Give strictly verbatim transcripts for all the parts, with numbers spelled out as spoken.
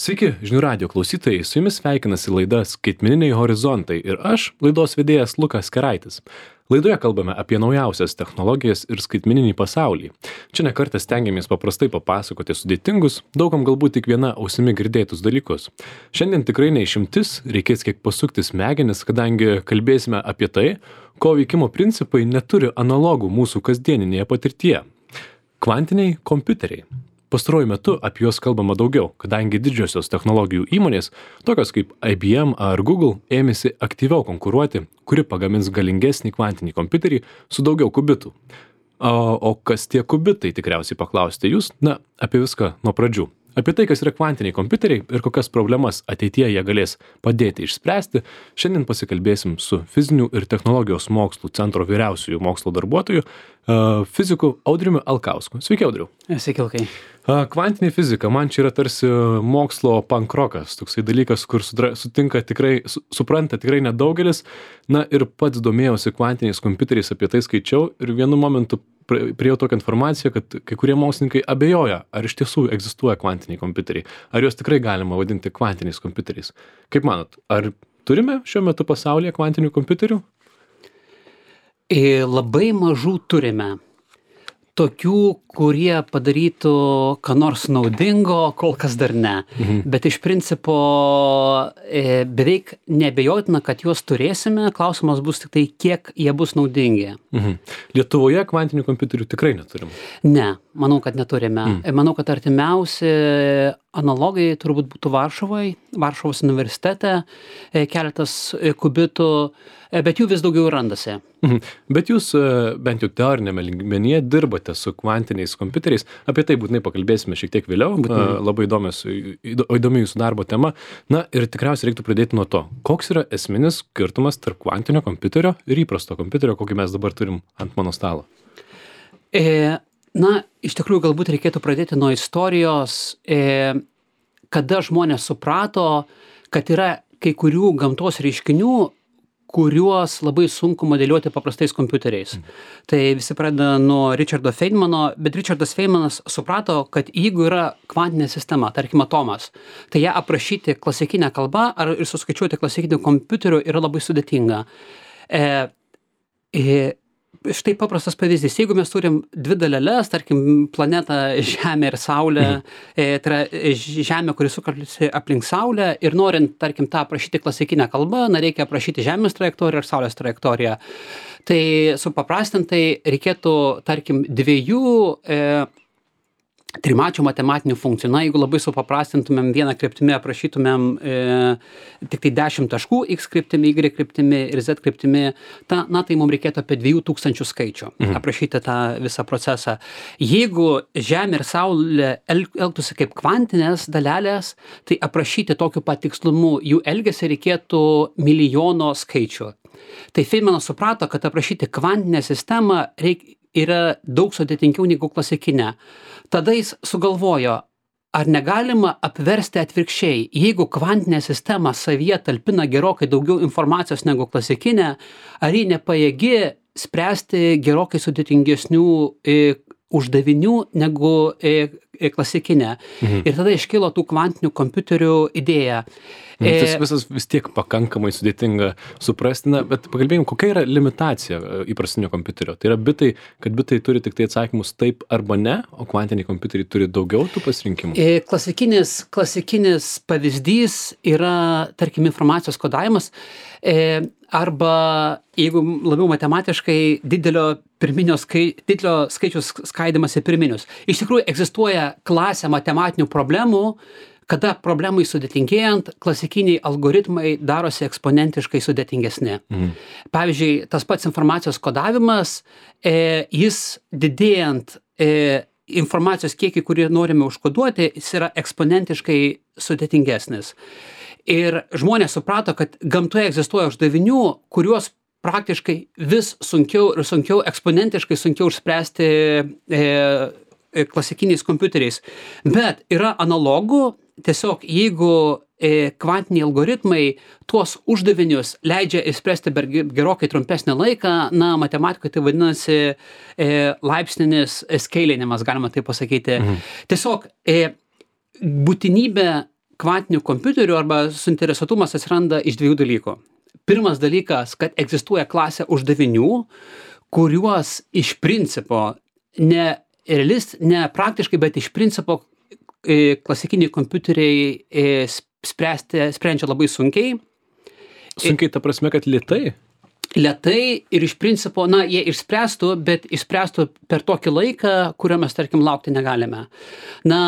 Sveiki, žinių radijo klausytojai, su jumis sveikinasi laida Skaitmeniniai horizontai ir aš, laidos vedėjas Lukas Keraitis. Laidoje kalbame apie naujausias technologijas ir skaitmeninį pasaulį. Čia nekartą stengiamės paprastai papasakoti sudėtingus, daugam galbūt tik viena ausimi girdėtus dalykus. Šiandien tikrai neišimtis, reikės kiek pasukti smegenis, kadangi kalbėsime apie tai, ko veikimo principai neturi analogų mūsų kasdieninėje patirtyje. Kvantiniai kompiuteriai. Pastaruoju metu apie juos kalbama daugiau, kadangi didžiosios technologijų įmonės, tokios kaip I B M ar Google, ėmėsi aktyviau konkuruoti, kuri pagamins galingesnį kvantinį kompiuterį su daugiau kubitų. O, o kas tie kubitai, tikriausiai paklausite jūs? Na, apie viską nuo pradžių. Apie tai, kas yra kvantiniai kompiuteriai ir kokias problemas ateityje jie galės padėti išspręsti, šiandien pasikalbėsim su Fizinių ir technologijos mokslų centro vyriausiųjų mokslo darbuotojų, fiziku Audriumi Alkausku. Sveiki, Audriau. Sveiki, Lukai. Kvantinė fizika, man čia yra tarsi mokslo pankrokas, toksai dalykas, kur sutinka tikrai, su, supranta tikrai nedaugelis, na ir pats domėjausi kvantiniais kompiuteriais, apie tai skaičiau ir vienu momentu priėjau tokią informaciją, kad kai kurie mokslininkai abejoja, ar iš tiesų egzistuoja kvantiniai kompiuteriai, ar juos tikrai galima vadinti kvantiniais kompiuteriais. Kaip manot, ar turime šiuo metu pasaulyje kvantinių kompiuterių? E, labai mažų turime. Tokių, kurie padarytų ką nors naudingo, kol kas dar ne. Mhm. Bet iš principo e, beveik neabejotina, kad juos turėsime. Klausimas bus tik tai, kiek jie bus naudingi. Mhm. Lietuvoje kvantinių kompiuterių tikrai neturime. Ne, manau, kad neturime. Mhm. Manau, kad artimiausi analogai turbūt būtų Varšuvoje, Varšuvos universitete, keletas kubitų, bet jų vis daugiau randasi. Mhm. Bet jūs bent jau teorinėme lygmenyje dirbate su kvantiniais kompiuteriais. Apie tai būtinai pakalbėsime šiek tiek vėliau. Būtinai. Labai įdomios, įdomi jūsų darbo tema. Na ir tikriausiai reiktų pradėti nuo to, koks yra esminis skirtumas tarp kvantinio kompiuterio ir įprasto kompiuterio, kokį mes dabar turim ant mano stalo. E, na, iš tikrųjų galbūt reikėtų pradėti nuo istorijos, e, kada žmonės suprato, kad yra kai kurių gamtos reiškinių, kuriuos labai sunku modeliuoti paprastais kompiuteriais. Mm. Tai visi pradeda nuo Richardo Feynmano, bet Richardas Feynmanas suprato, kad jeigu yra kvantinė sistema, tarkim atomas, tai ją aprašyti klasikinę kalbą ar ir suskaičiuoti klasikiniu kompiuteriu yra labai sudėtinga. E, e, štai paprastas pavyzdys. Jeigu mes turim dvi daleles, tarkim planetą Žemę ir Saulę, mhm. e, tai yra Žemė, kuri sukasi aplink Saulę ir norint, tarkim, tą aprašyti klasikinę kalbą, na, reikia aprašyti Žemės trajektoriją ir Saulės trajektoriją. Tai supaprastintai reikėtų, tarkim, dviejų e, trimačių matematinių funkcijų. Na, jeigu labai supaprastintumėm vieną kryptimį, aprašytumėm e, tik tai dešimt taškų, X kryptimi, Y kryptimi ir Z kryptimi, ta, na, tai mums reikėtų apie dviejų tūkstančių skaičių mhm. aprašyti tą visą procesą. Jeigu Žemė ir Saulė el, elgtųsi kaip kvantinės dalelės, tai aprašyti tokiu pat tikslumu jų elgesį reikėtų milijono skaičių. Tai Feynmanas suprato, kad aprašyti kvantinę sistemą reikia yra daug sudėtingiau negu klasikinė. Tada jis sugalvojo, ar negalima apversti atvirkščiai. Jeigu kvantinė sistema savyje talpina gerokai daugiau informacijos negu klasikinė, ar ji nepajėgi spręsti gerokai sudėtingesnių e, uždavinių negu e, e, klasikinė. Mhm. Ir tada iškilo tų kvantinių kompiuterių idėja. Tas visas vis tiek pakankamai sudėtinga suprasti, na, bet pakalbėjim, kokia yra limitacija įprastinio kompiuterio. Tai yra bitai, kad bitai turi tik tai atsakymus taip arba ne, o kvantiniai kompiuteriai turi daugiau tų pasirinkimų. E, klasikinis, klasikinis pavyzdys yra, tarkim, informacijos kodavimas, e, arba, jeigu labiau matematiškai, didelio pirminio skai, didelio skaičius skaidimas į pirminius. Iš tikrųjų, egzistuoja klasė matematinių problemų, kada problemai sudėtingėjant, klasikiniai algoritmai darosi eksponentiškai sudėtingesni. Mhm. Pavyzdžiui, tas pats informacijos kodavimas, e, jis didėjant e, informacijos kiekį, kurį norime užkoduoti, jis yra eksponentiškai sudėtingesnis. Ir žmonės suprato, kad gamtoje egzistuoja uždavinių, kuriuos praktiškai vis sunkiau ir sunkiau, eksponentiškai sunkiau išspręsti e, klasikiniais kompiuteriais. Bet yra analogų, tiesiog jeigu e, kvantiniai algoritmai tuos uždavinius leidžia išspręsti per gerokai trumpesnį laiką, na, matematikoje tai vadinasi e, laipsninis skeilinimas, galima tai pasakyti. Mhm. Tiesiog e, būtinybė kvantinių kompiuterių arba suinteresuotumas atsiranda iš dviejų dalykų. Pirmas dalykas, kad egzistuoja klasė uždavinių, kuriuos iš principo, ne realist, ne praktiškai, bet iš principo e, klasikiniai kompiuteriai e, spręsti, sprendžia labai sunkiai. Sunkiai ta prasme, kad lėtai? Lėtai ir iš principo, na, jie išspręstų, bet išspręstų per tokį laiką, kurio mes, tarkim, laukti negalime. Na,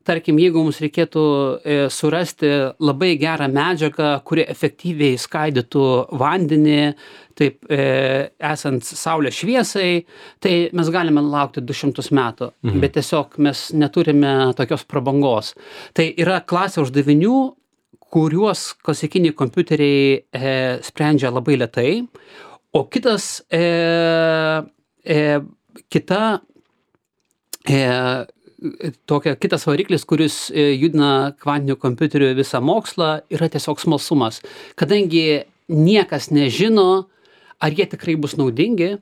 tarkim, jeigu mums reikėtų e, surasti labai gerą medžiagą, kuri efektyviai skaidytų vandenį, taip e, esant saulės šviesai, tai mes galime laukti du šimtus metų, mhm. bet tiesiog mes neturime tokios prabangos. Tai yra klasė uždavinių, kuriuos klasikiniai kompiuteriai e, sprendžia labai lėtai, o kitas, e, e, kita, e, tokia, kitas variklis, kuris e, judina kvantinių kompiuterių visą mokslą, yra tiesiog smalsumas. Kadangi niekas nežino, ar jie tikrai bus naudingi,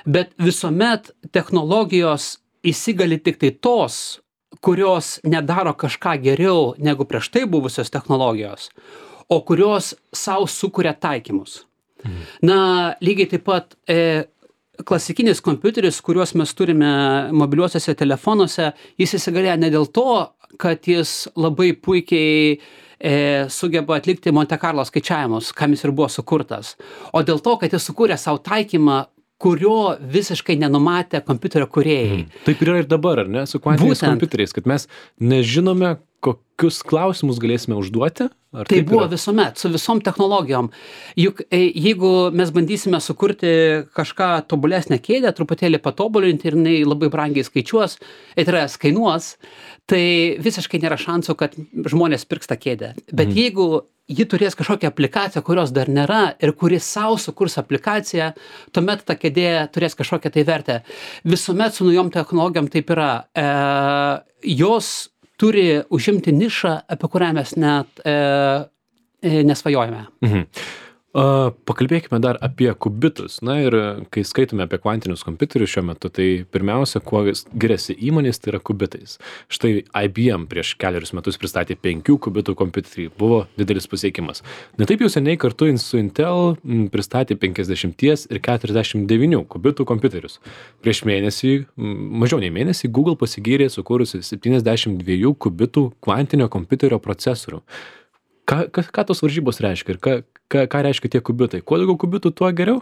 bet visuomet technologijos įsigali tik tai tos, kurios nedaro kažką geriau negu prieš tai buvusios technologijos, o kurios savo sukuria taikymus. Mhm. Na, lygiai taip pat e, klasikinis kompiuteris, kuriuos mes turime mobiliuosiuose telefonuose, jis įsigalėjo ne dėl to, kad jis labai puikiai e, sugeba atlikti Monte Carlo skaičiavimus, kam jis ir buvo sukurtas, o dėl to, kad jis sukūrė savo taikymą, kurio visiškai nenumatė kompiuterio kūrėjai. Mm. Taip yra ir dabar, ar ne, su kvantiniais Būtent. kompiuteriais, kad mes nežinome, kokius klausimus galėsime užduoti? Ar tai buvo yra? Visuomet, su visom technologijom. Juk jeigu mes bandysime sukurti kažką tobulesnę kėdę, truputėlį patobulinti ir jinai labai brangiai skaičiuos, tai yra kainuos, tai visiškai nėra šansų, kad žmonės pirks tą kėdę. Bet mm. jeigu ji turės kažkokią aplikaciją, kurios dar nėra ir kuri savo sukurs aplikaciją, tuomet ta kėdė turės kažkokią tai vertę. Visuomet su naujom technologijom taip yra. E, jos turi užimti nišą, apie kurią mes net e, e, nesvajojame. Mhm. Uh, pakalbėkime dar apie kubitus. Na ir kai skaitome apie kvantinius kompiuterius šiuo metu, tai pirmiausia, kuo giriasi įmonės, tai yra kubitais. Štai I B M prieš keliarius metus pristatė penkių kubitų kompiuterį. Buvo didelis pasiekimas. Netaip jau seniai kartu su Intel m, pristatė penkiasdešimt ir keturiasdešimt devynių kubitų kompiuterius. Prieš mėnesį, m, mažiau nei mėnesį, Google pasigyrė sukūrusi septyniasdešimt dviejų kubitų kvantinio kompiuterio procesorių. Ką, ką, ką tos varžybos reiškia ir ką, ką, ką reiškia tie kubitai? Kuo daugiau kubitų, tuo geriau?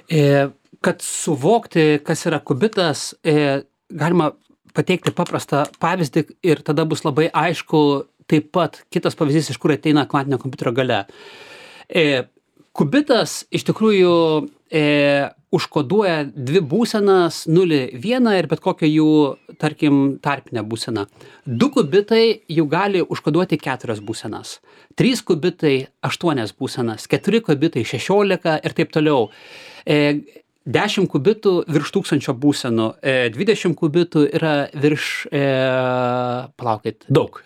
E, kad suvokti, kas yra kubitas, e, galima pateikti paprastą pavyzdį ir tada bus labai aišku taip pat kitas pavyzdys, iš kur ateina kvantinio kompiuterio galia. E, kubitas iš tikrųjų e, užkoduoja dvi būsenas, nulį, vieną ir bet kokią jų, tarkim, tarpinę būseną. Du kubitai jau gali užkoduoti keturias būsenas. Trys kubitai aštuonias būsenas, keturi kubitai šešiolika ir taip toliau. E, dešimt kubitų virš tūkstančio būsenų, e, dvidešimt kubitų yra virš, e, palaukit, daug.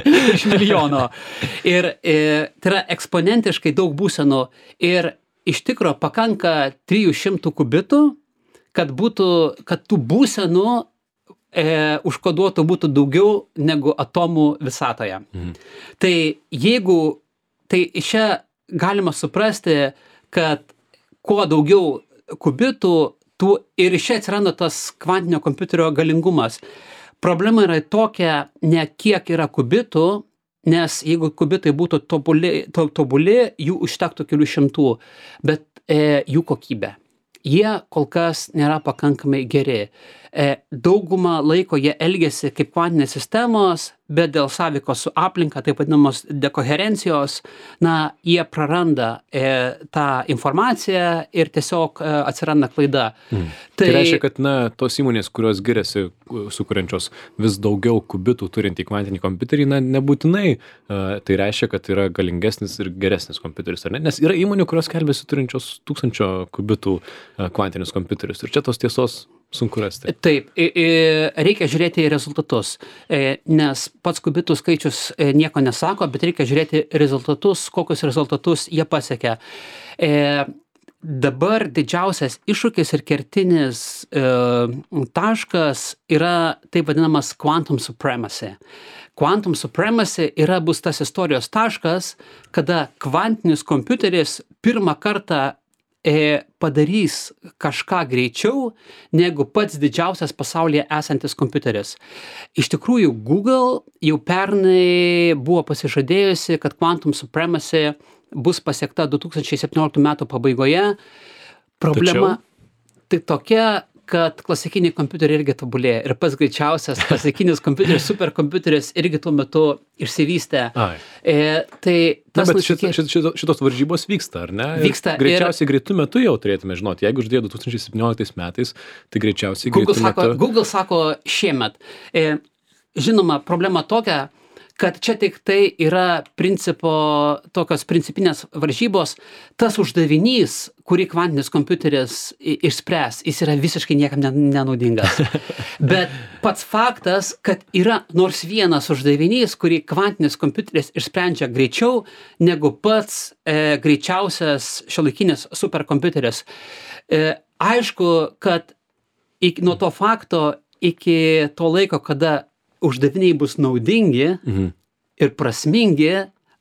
virš milijono. Ir e, tai yra eksponentiškai daug būsenų ir iš tikro pakanka trijų šimtų kubitų, kad būtų, kad tų būsenų e, užkoduotų būtų daugiau negu atomų visatoje. Mhm. Tai jeigu, tai čia galima suprasti, kad kuo daugiau kubitų, tų, ir iš čia atsiranda tas kvantinio kompiuterio galingumas. Problema yra tokia, ne kiek yra kubitų, nes jeigu kubitai būtų tobuli, to, tobuli jų užtektų kelių šimtų, bet e, jų kokybė. Jie kol kas nėra pakankamai geri. E, daugumą laiko jie elgiasi kaip kvantinės sistemos, bet dėl sąveikos su aplinka, taip vadinamos dekoherencijos, na, jie praranda e, tą informaciją ir tiesiog e, atsiranda klaida. Mm. Tai, tai reiškia, kad na, tos įmonės, kurios giriasi sukuriančios vis daugiau kubitų turintį kvantinį kompiuterį, na, nebūtinai e, tai reiškia, kad yra galingesnis ir geresnis kompiuteris, ar ne? Nes yra įmonių, kurios skelbiasi turinčios tūkstančio kubitų e, kvantinius kompiuterius. Ir čia tos tiesos sunku rasti. Taip, reikia žiūrėti į rezultatus, nes pats kubitų skaičius nieko nesako, bet reikia žiūrėti rezultatus, kokius rezultatus jie pasiekia. dabar didžiausias iššūkis ir kertinis e, taškas yra taip vadinamas quantum supremacy. Quantum supremacy yra bus tas istorijos taškas, kada kvantinis kompiuteris pirmą kartą e, padarys kažką greičiau negu pats didžiausias pasaulyje esantis kompiuteris. Iš tikrųjų, Google jau pernai buvo pasižadėjusi, kad quantum supremacy bus pasiekta du tūkstančiai septynioliktų metų pabaigoje. Problema Tačiau... tai tokia, kad klasikiniai kompiuteriai irgi tobulėja. Ir pats greičiausias klasikinis kompiuteris, superkompiuteris irgi tuo metu išsivystė. E, tai tas Na, bet nusikė... šit, šit, šitos varžybos vyksta, ar ne? Vyksta. Greičiausiai ir... greitų metų jau turėtume žinoti. Jeigu žadėjo du tūkstančiai septynioliktais metais, tai greičiausiai Google greitų sako, metų... Google sako šiemet. E, žinoma, problema tokia, kad čia tik tai yra principo, tokios principinės varžybos, tas uždavinys, kurį kvantinis kompiuteris išspręs, jis yra visiškai niekam nenaudingas. Bet pats faktas, kad yra nors vienas uždavinys, kurį kvantinis kompiuteris išsprendžia greičiau negu pats e, greičiausias šiuolaikinis superkompiuteris. E, aišku, kad iki, nuo to fakto iki to laiko, kada uždaviniai bus naudingi mhm. ir prasmingi,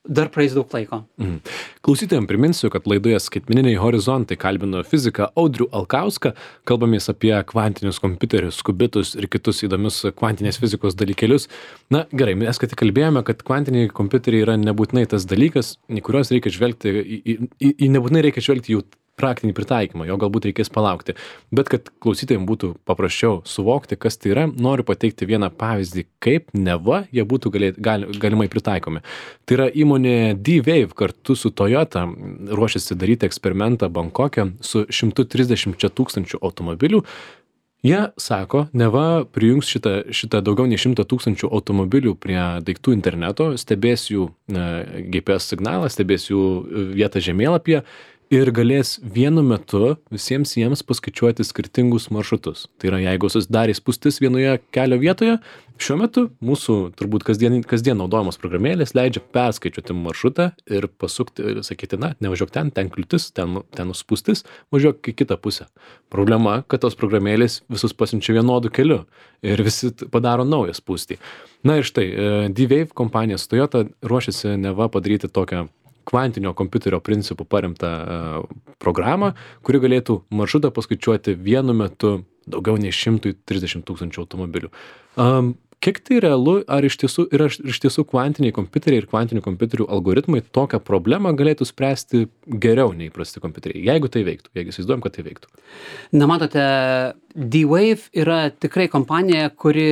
dar praeis daug laiko. Mhm. Klausytojams priminsiu, kad laidoje Skaitmeniniai horizontai kalbino fiziką Audrių Alkauską, kalbamės apie kvantinius kompiuterius, kubitus ir kitus įdomius kvantinės fizikos dalykėlius. Na gerai, mes kad kalbėjome, kad kvantiniai kompiuteriai yra nebūtinai tas dalykas, į kuriuos reikia žvelgti, į, į, į, į nebūtinai reikia žvelgti jų praktinį pritaikymą, jo galbūt reikės palaukti. Bet kad klausytojams būtų paprasčiau suvokti, kas tai yra, noriu pateikti vieną pavyzdį, kaip neva jie būtų galėt, gal, galimai pritaikomi. Tai yra įmonė D-Wave kartu su Toyota ruošiasi daryti eksperimentą Bankoke su šimtu trisdešimčia tūkstančių automobilių. Jie sako, neva prijungs šitą, šitą daugiau nei šimtą tūkstančių automobilių prie daiktų interneto, stebės jų G P S signalą, stebės jų vietą žemėlapyje ir galės vienu metu visiems jiems paskaičiuoti skirtingus maršrutus. Tai yra, jeigu susidarė spūstis vienoje kelio vietoje, šiuo metu mūsų turbūt kasdien, kasdien naudojamos programėlės leidžia perskaičiuoti maršrutą ir pasukti ir sakyti, na, nevažiuok ten, ten kliūtis, ten, ten spūstis, važiuok į kitą pusę. Problema, kad tos programėlės visus pasiunčia vienodų keliu ir visi padaro naują spūstį. Na ir štai, D-Wave kompanija Toyota ruošiasi neva padaryti tokią kvantinio kompiuterio principų paremtą uh, programą, kuri galėtų maršrutą paskaičiuoti vienu metu daugiau nei šimtą trisdešimt tūkstančių automobilių. Um, kiek tai realu, ar iš tiesų, ir ar iš tiesų kvantiniai kompiuteriai ir kvantinių kompiuterių algoritmai tokią problemą galėtų spręsti geriau nei įprasti kompiuteriai, jeigu tai veiktų, jeigu įsivaizduojam, kad tai veiktų? Na, matote, D-Wave yra tikrai kompanija, kuri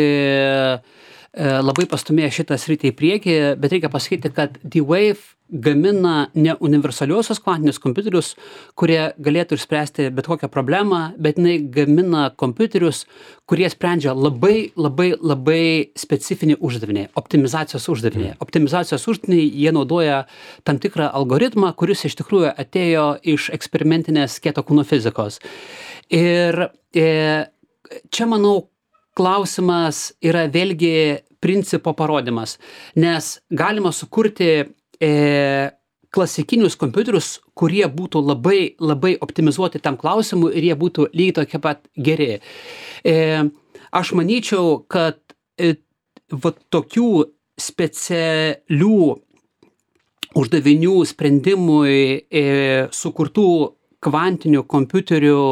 labai pastumėjo šitą sritį į priekį, bet reikia pasakyti, kad D-Wave gamina ne universaliuosius kvantinius kompiuterius, kurie galėtų išspręsti bet kokią problemą, bet jinai gamina kompiuterius, kurie sprendžia labai, labai, labai specifinį uždavinį, optimizacijos uždavinį. Optimizacijos uždavinį jie naudoja tam tikrą algoritmą, kuris iš tikrųjų atėjo iš eksperimentinės kieto kūno fizikos. Ir e, čia, manau, klausimas yra vėlgi principo parodymas, nes galima sukurti e, klasikinius kompiuterius, kurie būtų labai, labai optimizuoti tam klausimui ir jie būtų lygiai tokie pat geri. E, aš manyčiau, kad e, va, tokių specialių uždavinių sprendimui e, sukurtų kvantinių kompiuterių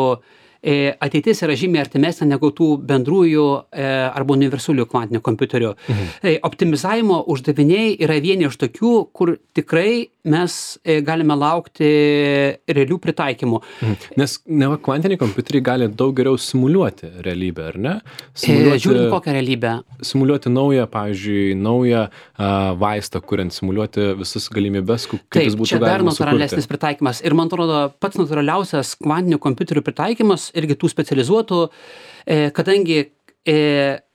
ateitis yra žymiai artimesnė negu tų bendrųjų e, arba universalių kvantinių kompiuterių. Mhm. E, optimizavimo uždaviniai yra vieni iš tokių, kur tikrai mes e, galime laukti realių pritaikymų. Mhm. Nes neva kvantiniai kompiuteriai gali daug geriau simuliuoti realybę, ar ne? Simuliuoti, e, žiūrint kokią realybę. Simuliuoti naują, pavyzdžiui, naują a, vaistą, kuriant simuliuoti visas galimybės, kaip Taip, jis būtų čia dar galima sukurti. natūralesnis pritaikymas. Ir man atrodo, pats natūraliausias kvantinių kompiuterių pritaikymas irgi tų specializuotų, e, kadangi e,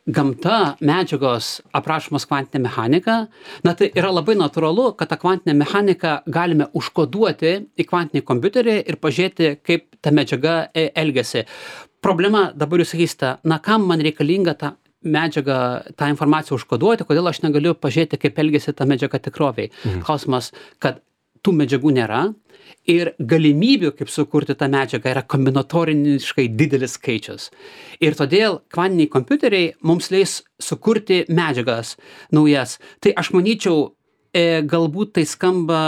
gamta, medžiagos aprašomos kvantinė mechanika, na tai yra labai natūralu, kad tą kvantinę mechaniką galime užkoduoti į kvantinį kompiuterį ir pažiūrėti, kaip ta medžiaga e, elgiasi. Problema, dabar jūs sakysite, na kam man reikalinga tą medžiagą, tą informaciją užkoduoti, kodėl aš negaliu pažiūrėti, kaip elgiasi ta medžiaga tikroviai. Mhm. Klausimas, kad tų medžiagų nėra ir galimybių, kaip sukurti tą medžiagą, yra kombinatoriškai didelis skaičius. Ir todėl kvantiniai kompiuteriai mums leis sukurti medžiagas naujas. Tai aš manyčiau, e, galbūt tai skamba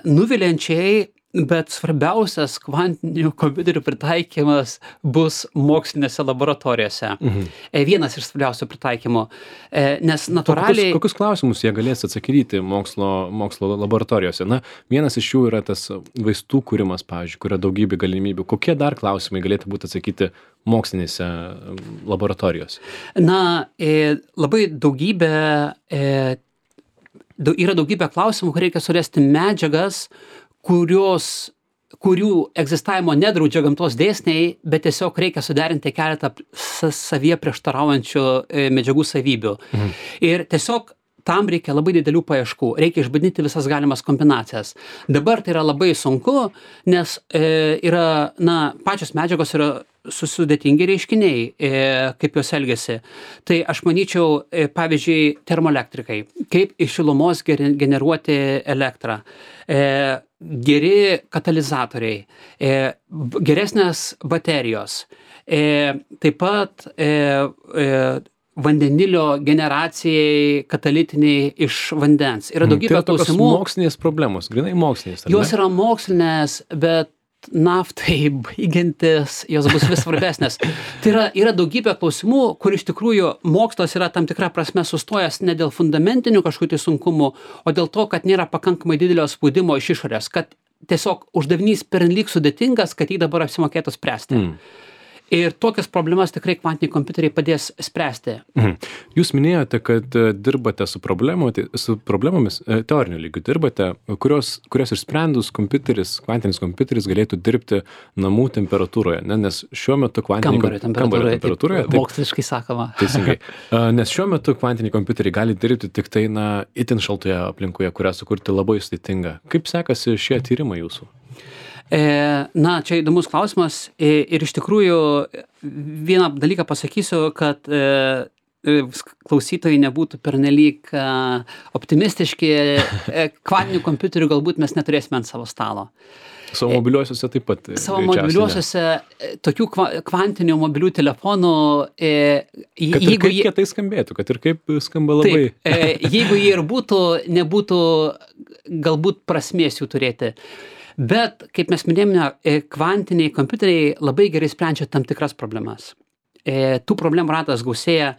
nuviliančiai, bet svarbiausias kvantinių kompiuterių pritaikymas bus mokslinėse laboratorijose. Mhm. E, vienas iš svarbiausių pritaikymų. E, nes natūraliai... Kokius, kokius klausimus jie galės atsakyti mokslo, mokslo laboratorijose? Na, vienas iš jų yra tas vaistų kūrimas, pavyzdžiui, kur yra daugybė galimybių. Kokie dar klausimai galėtų būti atsakyti mokslinėse laboratorijose? Na, e, labai daugybė... E, daug, yra daugybė klausimų, kur reikia surasti medžiagas, kurios, kurių egzistavimo nedraudžia gamtos dėsniai, bet tiesiog reikia suderinti keletą savyje prieštaraujančių medžiagų savybių. Mhm. Ir tiesiog tam reikia labai didelių paieškų, reikia išbandyti visas galimas kombinacijas. Dabar tai yra labai sunku, nes e, yra, na, pačios medžiagos yra sudėtingi reiškiniai, e, kaip jos elgiasi. Tai aš manyčiau, e, pavyzdžiui, termoelektrikai, kaip iš šilumos generuoti elektrą. E, geri katalizatoriai, e, geresnės baterijos, e, taip pat e, e, vandenilio generacijai katalitiniai iš vandens. Yra daugybė tai yra klausimų. Mokslinės problemos, grinai mokslinės. Jos yra mokslinės, bet naftai baigiantis, jos bus vis svarbesnės. Tai yra, yra daugybė klausimų, kur iš tikrųjų mokslas yra tam tikra prasme sustojęs ne dėl fundamentinių kažkokių tai sunkumų, o dėl to, kad nėra pakankamai didelio spaudimo iš išorės, kad tiesiog uždavinys pernelyg sudėtingas, kad jį dabar apsimokėtų spręsti. Mm. Ir tokias problemas tikrai kvantiniai kompiuteriai padės spręsti. Mhm. Jūs minėjote, kad dirbate su, su problemomis, teoriniu lygiu dirbate, kurios, kurios išsprendus kompiuteris, kvantinis kompiuteris galėtų dirbti namų temperatūroje, ne? Nes šiuo metu kvantiniai kambario temperatūroje, temperatūroje taip, moksliškai sakoma. Teisingai. Nes šiuo metu kvantiniai kompiuteriai gali dirbti tik tai, na, itin šaltoje aplinkoje, kurią sukurti labai sudėtinga. Kaip sekasi šie tyrimai jūsų? Na, čia įdomus klausimas ir iš tikrųjų vieną dalyką pasakysiu, kad klausytojai nebūtų pernelyg optimistiški, kvantinių kompiuterių galbūt mes neturėsime ant savo stalo. Savo mobiliuosiuose taip pat. Savo mobiliuosiuose tokių kvantinių mobilių telefonų. Kad ir kaip jie tai skambėtų, kad ir kaip skamba labai. Taip, jeigu jie ir būtų, nebūtų galbūt prasmės jų turėti. Bet, kaip mes minėjome, kvantiniai kompiuteriai labai gerai sprendžia tam tikras problemas. E, tų problemų ratas gausėja,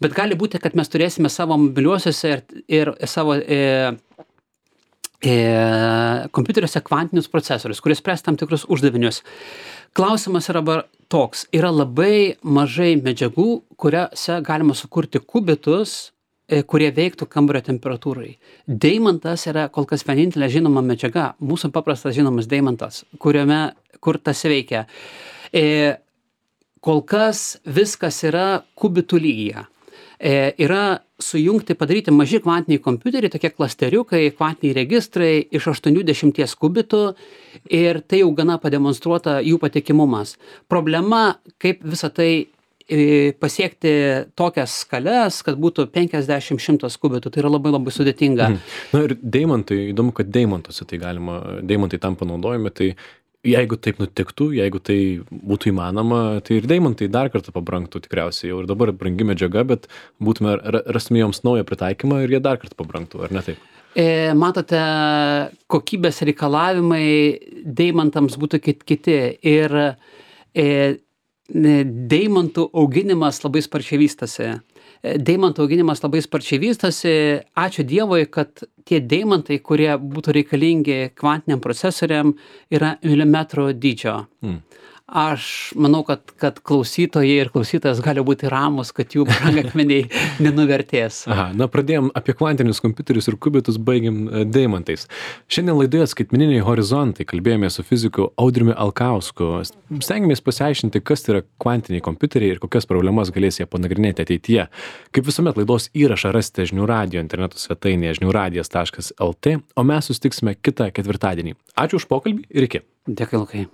bet gali būti, kad mes turėsime savo mobiliuosiuose ir, ir savo e, e, kompiuteriuose kvantinius procesorius, kurie spręs tam tikrus uždavinius. Klausimas yra toks, yra labai mažai medžiagų, kuriuose galima sukurti kubitus, kurie veiktų kambario temperatūrai. Deimantas yra kol kas vienintelė žinoma medžiaga, mūsų paprastas žinomas deimantas, kuriame, kur tas veikia. E, kol kas viskas yra kubitų lygyje. E, yra sujungti, padaryti maži kvantiniai kompiuteriai, tokie klasteriukai, kvantiniai registrai iš aštuoniasdešimt kubitų ir tai jau gana pademonstruota jų patikimumas. Problema, kaip visą tai pasiekti tokias skales, kad būtų penkiasdešimt šimtas kubitų, tai yra labai labai sudėtinga. Mhm. Na ir deimantai, įdomu, kad deimantuose tai galima, deimantai tam panaudojami, tai jeigu taip nutiktų, jeigu tai būtų įmanoma, tai ir deimantai dar kartą pabrangtų tikriausiai, jau ir dabar brangi medžiaga, bet būtume, rastume joms naują pritaikymą ir jie dar kartą pabrangtų, ar ne taip? E, matote, kokybės reikalavimai deimantams būtų kiti ir e, deimantų auginimas labai sparčiai vystosi. Deimantų auginimas labai sparčiai vystosi. Ačiū Dievui, kad tie deimantai, kurie būtų reikalingi kvantiniam procesoriam, yra milimetro dydžio. Mm. Aš manau, kad, kad klausytojai ir klausytojas gali būti ramus, kad jų brangakmeniai nenuvertės. Aha, na pradėjom apie kvantinius kompiuterius ir kubitus, baigėm deimantais. Šiandien laidoje Skaitmeniniai horizontai kalbėjome su fiziku Audriumi Alkausku. Stengiamės pasiaiškinti, kas tai yra kvantiniai kompiuteriai ir kokias problemas galės jie panagrinėti ateityje. Kaip visuomet laidos įrašą rasite Žinių radijo interneto svetainėje žinių radijas taškas el tė, o mes susitiksime kitą ketvirtadienį. Ačiū už pokalbį ir iki. Dėkui, Lukai.